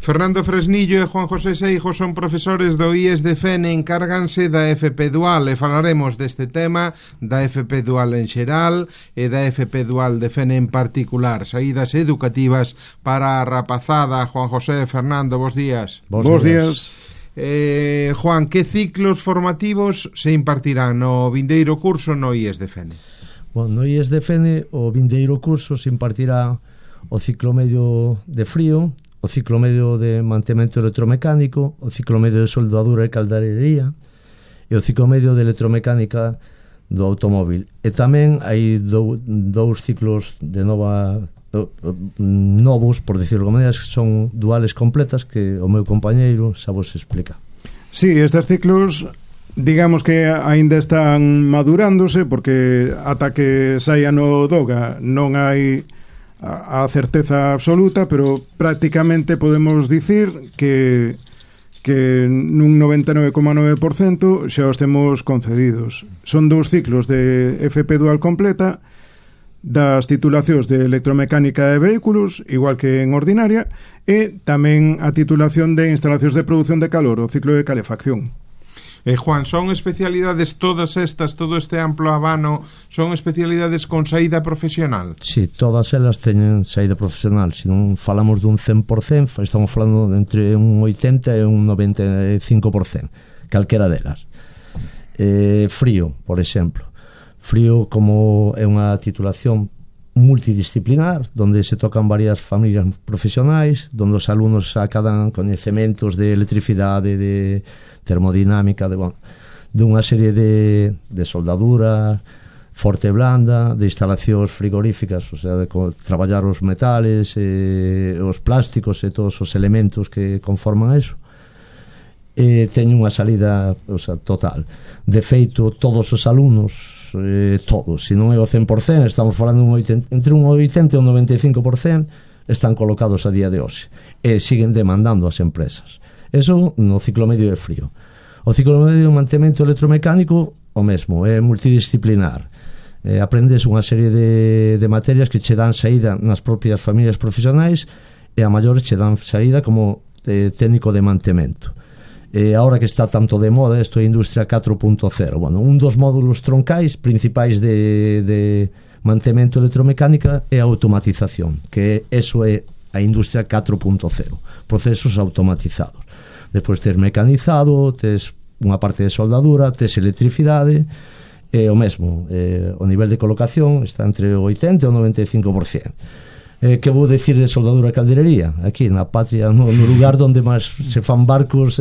Fernando Fresnillo e Juan José Seijo son profesores do IES de Fene, encárganse da FP Dual e falaremos deste tema, da FP Dual en xeral e da FP Dual de Fene en particular, saídas educativas para a rapazada. Juan José, Fernando, bos días. Bos días. Juan, que ciclos formativos se impartirán no vindeiro curso no IES de Fene? Bueno, no IES de Fene o vindeiro curso se impartirá o ciclo medio de frío, o ciclo medio de mantemento electromecánico, o ciclo medio de soldadura e caldarería e o ciclo medio de electromecánica do automóvil. E tamén hai dous ciclos de novos, por decirlo como que son duales completas que o meu compañeiro xa vos explica. Sí, estes ciclos digamos que aínda están madurándose porque ata que saia no DOGA non hai a certeza absoluta, pero prácticamente podemos dicir que nun 99,9% xa os temos concedidos. Son dous ciclos de FP Dual completa das titulacións de electromecánica de vehículos, igual que en ordinaria, e tamén a titulación de instalacións de produción de calor, o ciclo de calefacción. Juan, son especialidades todas estas, todo este amplo abano, son especialidades con saída profesional? Sí, todas elas teñen saída profesional. Se non falamos dun 100%, estamos falando entre un 80% e un 95%, calquera delas. Frío, por exemplo. Frío como é unha titulación multidisciplinar, donde se tocan varias familias profesionais, donde os alumnos acadan coñecementos de electricidade, de termodinámica, de unha serie de soldadura forte e blanda, de instalacións frigoríficas, o sea, de traballar os metales, os plásticos e todos os elementos que conforman eso. Teño unha salida, o sea, total. De feito, todos os alumnos, todos, se non é o 100%, estamos falando entre un 80 e un 95%, están colocados a día de hoxe e siguen demandando as empresas. Eso no ciclo medio de frío. O ciclo medio de mantemento electromecánico, o mesmo, é multidisciplinar. Aprendes unha serie de materias que che dan saída nas propias familias profesionais e a maiores che dan saída como técnico de mantemento. Ahora que está tanto de moda isto é Industria 4.0, bueno, un dos módulos troncais principais de mantemento electromecánica é a automatización, que eso é a Industria 4.0, procesos automatizados. Despois tes mecanizado, tes unha parte de soldadura, tes electricidade, e o mesmo, o nivel de colocación está entre o 80 e o 95%. Que vou decir de soldadura e calderería? Aquí na patria, no lugar onde máis se fan barcos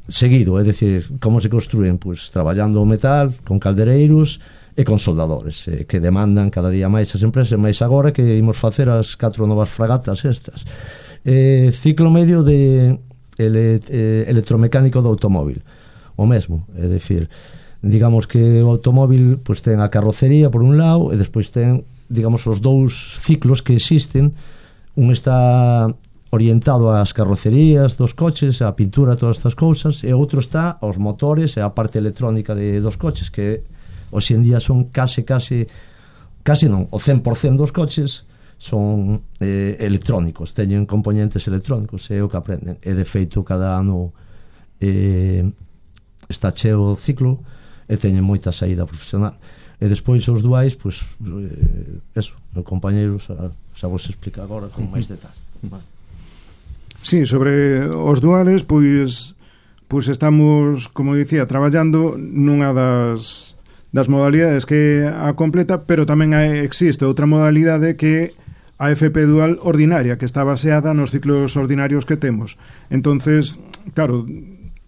seguido, é dicir, como se construen? Pois traballando o metal con caldereiros e con soldadores, que demandan cada día máis as empresas, máis agora que imos facer as 4 novas fragatas estas. Ciclo medio de electromecánico do automóvil, o mesmo, é dicir, digamos que o automóvil pois ten a carrocería por un lado e despois ten, digamos, os dous ciclos que existen. Un está orientado ás carrocerías dos coches, a pintura, todas estas cousas, e outro está aos motores e a parte electrónica dos coches, que hoxe en día son case non, o 100% dos coches son electrónicos, teñen componentes electrónicos, é o que aprenden, e de feito cada ano está cheo o ciclo e teñen moita saída profesional. E despois os duais, pois eso, meu compañeiro xa vos explica agora con máis detalles. Sí, sobre os duales, pois estamos, como dicía, traballando nunha das modalidades que a completa, pero tamén existe outra modalidade que a FP Dual ordinaria, que está baseada nos ciclos ordinarios que temos. Entonces, claro,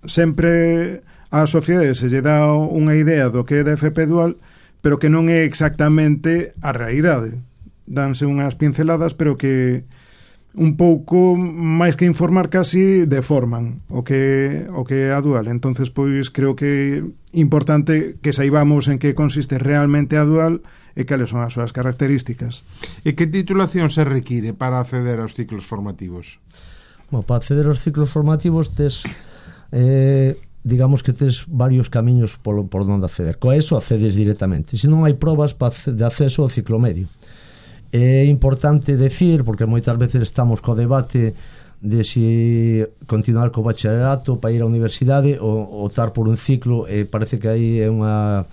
sempre a sociedade se lle dá unha idea do que é da FP Dual, pero que non é exactamente a realidade. Danse unhas pinceladas, pero que un pouco máis que informar casi deforman o que é a dual. Entonces, pois creo que é importante que saibamos en que consiste realmente a dual e cales son as súas características. E que titulación se require para acceder aos ciclos formativos? Bueno, para acceder aos ciclos formativos tes digamos que tes varios camiños por onde acceder. Coa eso accedes directamente. Se non hai probas de acceso ao ciclo medio. É importante decir, porque moitas veces estamos co debate de si continuar co bacharelato para ir á universidade ou optar por un ciclo, e parece que aí é unha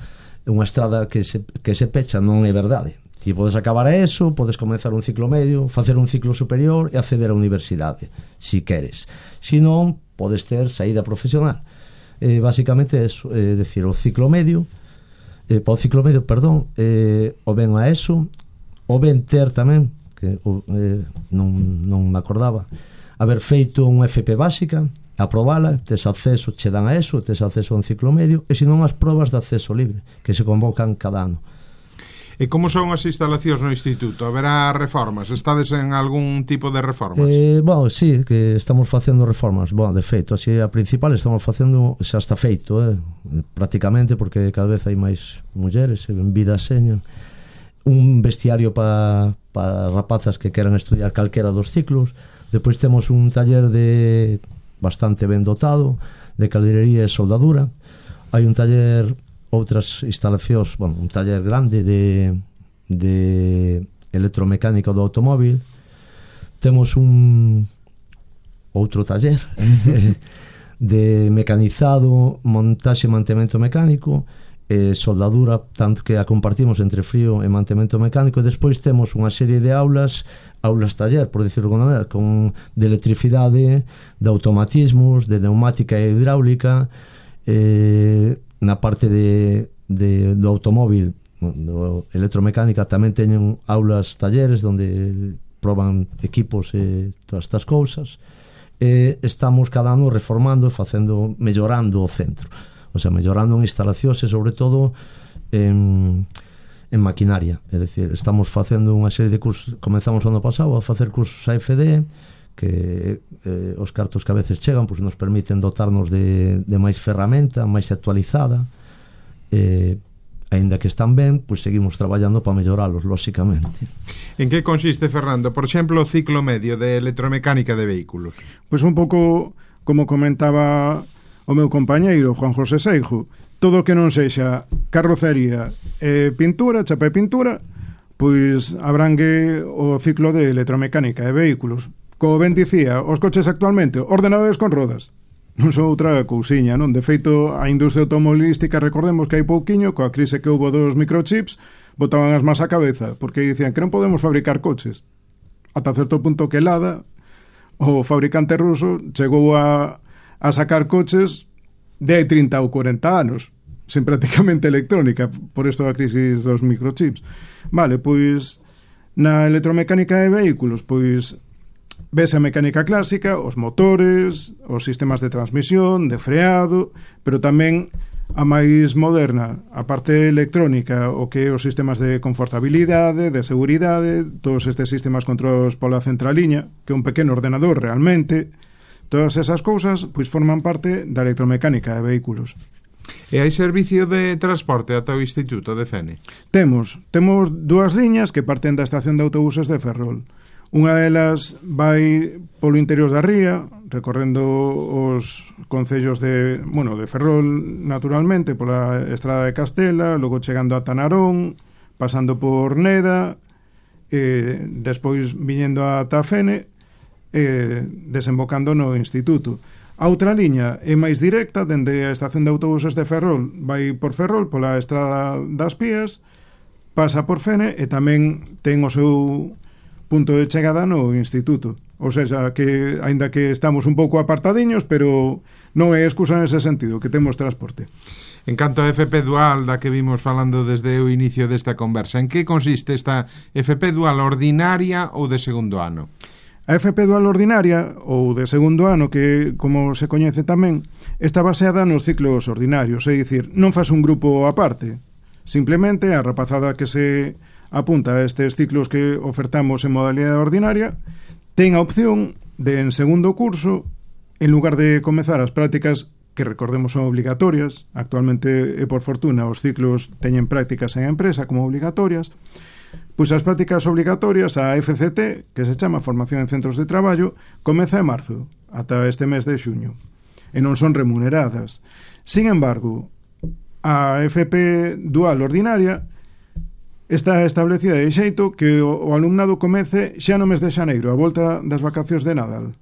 estrada que se pecha. Non é verdade. Ti podes acabar a eso, podes comenzar un ciclo medio, facer un ciclo superior e acceder á universidade, si queres. Si non, podes ter saída profesional. Basicamente é eso, decir, o ciclo medio, para o ciclo medio, perdón, o ben a eso, o ben ter tamén, que non me acordaba, haber feito unha FP básica, aprobala, tes acceso, che dan a eso, tes acceso a un ciclo medio, e senón as probas de acceso libre, que se convocan cada ano. E como son as instalacións no instituto? Haberá reformas? Estades en algún tipo de reformas? Bueno, sí, que estamos facendo reformas. Bueno, de feito, así a principal estamos facendo, xa está feito, prácticamente, porque cada vez hai máis mulleres en vida seña. Un vestiario para rapazas que queran estudiar calquera dos ciclos. Depois temos un taller de bastante ben dotado de calderería e soldadura. Hai un taller, outras instalacións, bueno, un taller grande de electromecánica do automóvil. Temos un outro taller de mecanizado, montaxe e mantemento mecánico, soldadura, tanto que a compartimos entre frío e mantemento mecánico. E despois temos unha serie de aulas taller, por decirlo de alguna maneira, de electricidade, de automatismos, de neumática e hidráulica. Na parte do automóvil, do electromecánica, tamén teñen aulas talleres onde proban equipos e todas estas cousas. Estamos cada ano reformando e mellorando o centro, o sea, mellorando en instalacións e sobre todo en maquinaria. É dicir, estamos facendo unha serie de cursos. Comenzamos o ano pasado a facer cursos AFD, que os cartos que a veces chegan pues nos permiten dotarnos de máis ferramenta, máis actualizada, aínda que están ben, pues seguimos traballando para melloralos, lóxicamente. En que consiste, Fernando, por exemplo, o ciclo medio de electromecánica de vehículos? Pues un pouco como comentaba o meu compañeiro Juan José Seijo, todo o que non sexa carrocería e pintura, chapa e pintura, pois abrangue o ciclo de electromecánica de vehículos. Como ben dicía, os coches actualmente, ordenadores con rodas, non son outra cousiña, non? De feito, a industria automobilística, recordemos que hai pouquiño, coa crise que houbo dos microchips, botaban as más a cabeza, porque dicían que non podemos fabricar coches. Ata certo punto que Lada, o fabricante ruso, chegou a sacar coches de 30 ou 40 anos, sen prácticamente electrónica, por isto da crisis dos microchips. Vale, pois, na electromecánica de vehículos, pois, ves a mecánica clásica, os motores, os sistemas de transmisión, de freado, pero tamén a máis moderna, a parte electrónica, o que os sistemas de confortabilidade, de seguridade, todos estes sistemas controlados pola centraliña, que é un pequeno ordenador realmente. Todas esas cousas pois forman parte da electromecánica de vehículos. E hai servicio de transporte ata o Instituto de Fene? Temos dúas liñas que parten da estación de autobuses de Ferrol. Unha delas vai polo interior da ría, recorrendo os concellos de Ferrol, naturalmente, pola estrada de Castela, logo chegando a Tanarón, pasando por Neda, despois viñendo a Tafene, desembocando no Instituto. A outra liña é máis directa, dende a estación de autobuses de Ferrol, vai por Ferrol, pola estrada das Pías, pasa por Fene e tamén ten o seu punto de chegada no Instituto. Ou seja, que aínda que estamos un pouco apartadiños, pero non é excusa nese sentido, que temos transporte. En canto a FP Dual, da que vimos falando desde o inicio desta conversa, en que consiste esta FP Dual ordinaria ou de segundo ano? A FP Dual ordinaria, ou de segundo ano, que, como se coñece tamén, está baseada nos ciclos ordinarios, é dicir, non faz un grupo aparte. Simplemente a rapazada que se apunta a estes ciclos que ofertamos en modalidade ordinaria ten a opción de, en segundo curso, en lugar de comezar as prácticas, que recordemos son obligatorias, actualmente e por fortuna os ciclos teñen prácticas en empresa como obligatorias, pois as prácticas obligatorias, a FCT, que se chama Formación en Centros de Traballo, comeza en marzo, ata este mes de xuño, e non son remuneradas. Sin embargo, a FP Dual ordinaria está establecida de xeito que o alumnado comece xa no mes de xaneiro, a volta das vacacións de Nadal.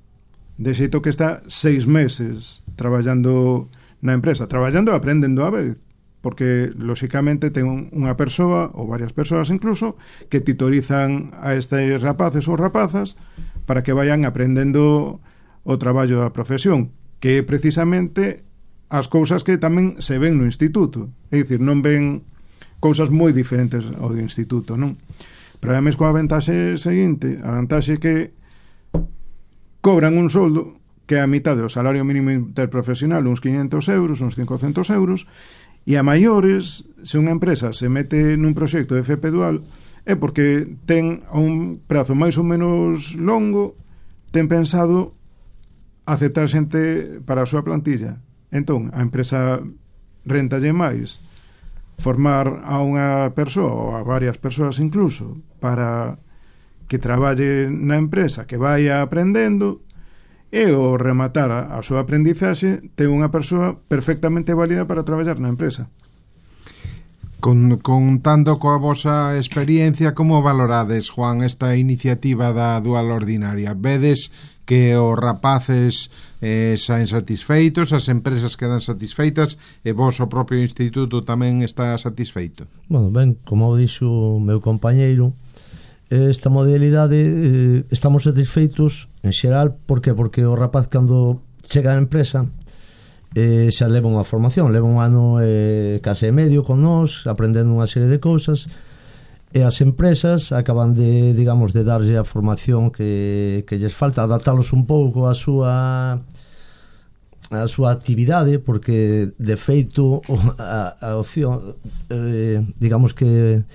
De xeito que está 6 meses traballando na empresa, traballando e aprendendo a vez, porque, lóxicamente, ten unha persoa, ou varias persoas incluso, que titorizan a estes rapaces ou rapazas para que vayan aprendendo o traballo da profesión, que é precisamente as cousas que tamén se ven no instituto. É dicir, non ven cousas moi diferentes ao do instituto, non? Pero ademais coa ventaxe seguinte, a ventaxe que cobran un soldo que é a mitad do salario mínimo interprofesional, uns 500 euros, uns 500 euros, e a maiores, se unha empresa se mete nun proxecto de FP Dual, é porque ten a un prazo máis ou menos longo, ten pensado aceptar xente para a súa plantilla. Entón, a empresa rentalle máis formar a unha persoa ou a varias persoas incluso para que traballe na empresa, que vaya aprendendo, e ao rematar a súa aprendizaxe ten unha persoa perfectamente válida para traballar na empresa. Contando coa vosa experiencia, como valorades, Juan, esta iniciativa da Dual Ordinaria? Vedes que os rapaces saen satisfeitos, as empresas quedan satisfeitas e vos, o propio instituto, tamén está satisfeito? Bueno, ben, como dixo o meu compañeiro, esta modalidade estamos satisfeitos en xeral. Por que? Porque o rapaz, cando chega á empresa, xa leva unha formación, leva un ano case e medio con nós, aprendendo unha serie de cousas, e as empresas acaban de, digamos, de darlle a formación que lles falta, adaptalos un pouco a súa actividade, porque de feito a opción, digamos que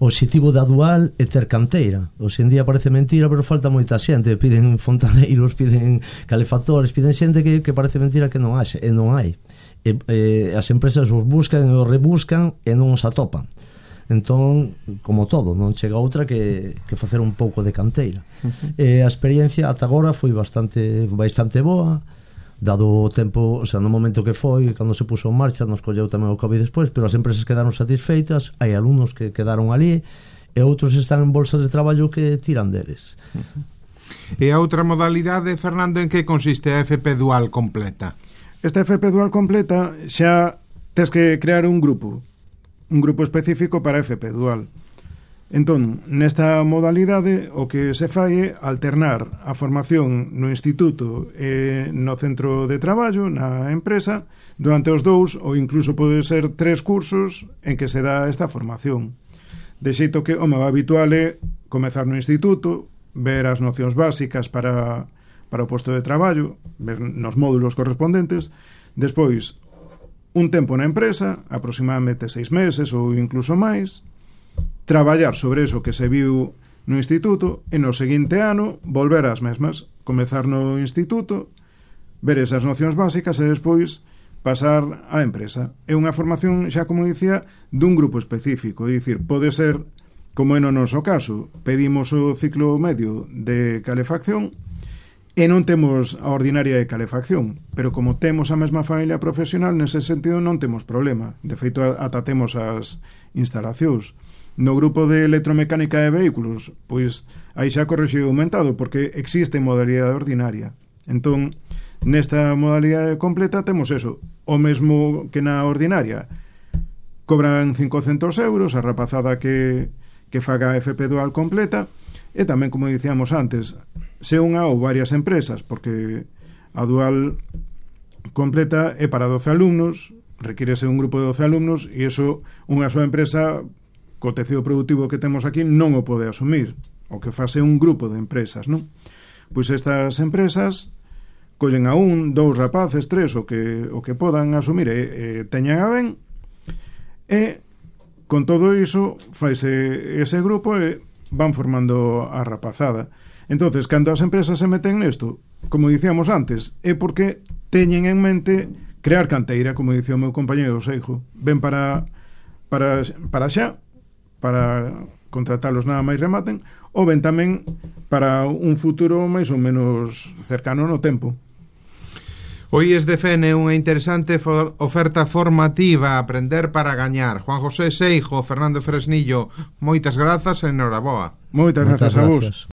o objetivo da Dual é ter canteira. Hoxe en día parece mentira, pero falta moita xente. Piden fontaneiros, piden calefactores, piden xente que parece mentira que non haxe, e non hai. As empresas os buscan e os rebuscan e non os atopan. Entón, como todo, non chega outra que facer un pouco de canteira. A experiencia ata agora foi bastante boa, dado o tempo, o sea, no momento que foi, cando se puso en marcha, nos colleu tamén o COVID despois, pero as empresas quedaron satisfeitas, hai alumnos que quedaron ali, e outros están en bolsas de traballo que tiran deles. E a outra modalidade, Fernando, en que consiste a FP Dual completa? Esta FP Dual completa xa tes que crear un grupo específico para FP Dual. Entón, nesta modalidade, o que se fai é alternar a formación no instituto e no centro de traballo, na empresa, durante os 2 ou incluso pode ser 3 cursos en que se dá esta formación. De xeito que o máis habitual é comezar no instituto, ver as nocións básicas para o posto de traballo, ver nos módulos correspondentes, despois un tempo na empresa, aproximadamente 6 meses ou incluso máis, traballar sobre eso que se viu no instituto e no seguinte ano volver ás mesmas, comezar no instituto, ver esas nocións básicas e despois pasar á empresa. É unha formación, xa como dicía, dun grupo específico, é dicir, pode ser, como é no noso caso, pedimos o ciclo medio de calefacción e non temos a ordinaria de calefacción, pero como temos a mesma familia profesional, nese sentido non temos problema. De feito, ata temos as instalacións. No grupo de electromecánica de vehículos, pois aí xa correxido aumentado, porque existe modalidade ordinaria. Entón, nesta modalidade completa temos eso, o mesmo que na ordinaria. Cobran 500 euros a rapazada que faga FP Dual completa, e tamén, como dicíamos antes, se unha ou varias empresas, porque a Dual completa é para 12 alumnos, requírese un grupo de 12 alumnos, e iso unha soa empresa co tecido productivo que temos aquí non o pode asumir. O que fase un grupo de empresas, non? Pois estas empresas collen a 1, 2 rapaces, 3, o que podan asumir e teñan a ben, e con todo iso faise ese grupo e van formando a rapazada. Entonces, cando as empresas se meten nesto, como dicíamos antes, é porque teñen en mente crear canteira, como dicía o meu compañeiro Seijo. Ben para xa, para contratalos nada máis rematen, ou ben tamén para un futuro máis ou menos cercano no tempo. O IES de FEN é unha interesante oferta formativa, aprender para gañar. Juan José Seijo, Fernando Fresnillo, moitas grazas e enhoraboa. Moitas grazas a vos.